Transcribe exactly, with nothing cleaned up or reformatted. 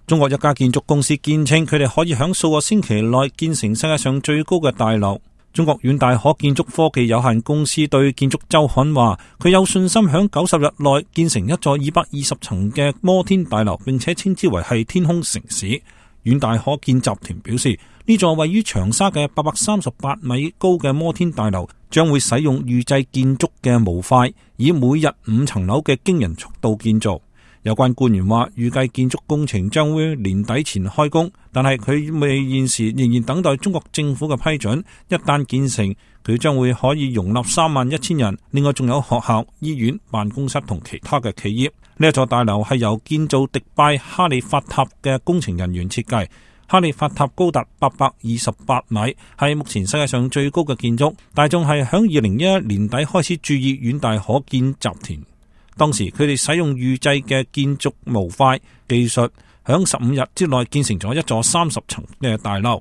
中國一家建築公司堅稱，佢哋可以喺數個星期內建成世界上最高嘅大樓。中國遠大可建築科技有限公司對建築週刊話，佢有信心喺九十日內建成一座二百二十層嘅摩天大樓，並且稱之為係天空城市。遠大可建集團表示，呢座位於長沙嘅八百三十八米高嘅摩天大樓將會使用預製建築嘅模塊，以每日五層樓嘅驚人速度建造。有關官員話，預計建築工程將會年底前開工，但係佢未現時仍然等待中國政府嘅批准。一旦建成，佢將會可以容納三萬一千人。另外仲有學校、醫院、辦公室同其他嘅企業。呢一座大樓係由建造迪拜哈利法塔嘅工程人員設計。哈利法塔高達八百二十八米，係目前世界上最高嘅建築。大眾係響二零一一年底開始注意遠大可建集團。當時佢哋使用預製嘅建築模塊技術，響十五日之內建成咗一座三十層嘅大樓。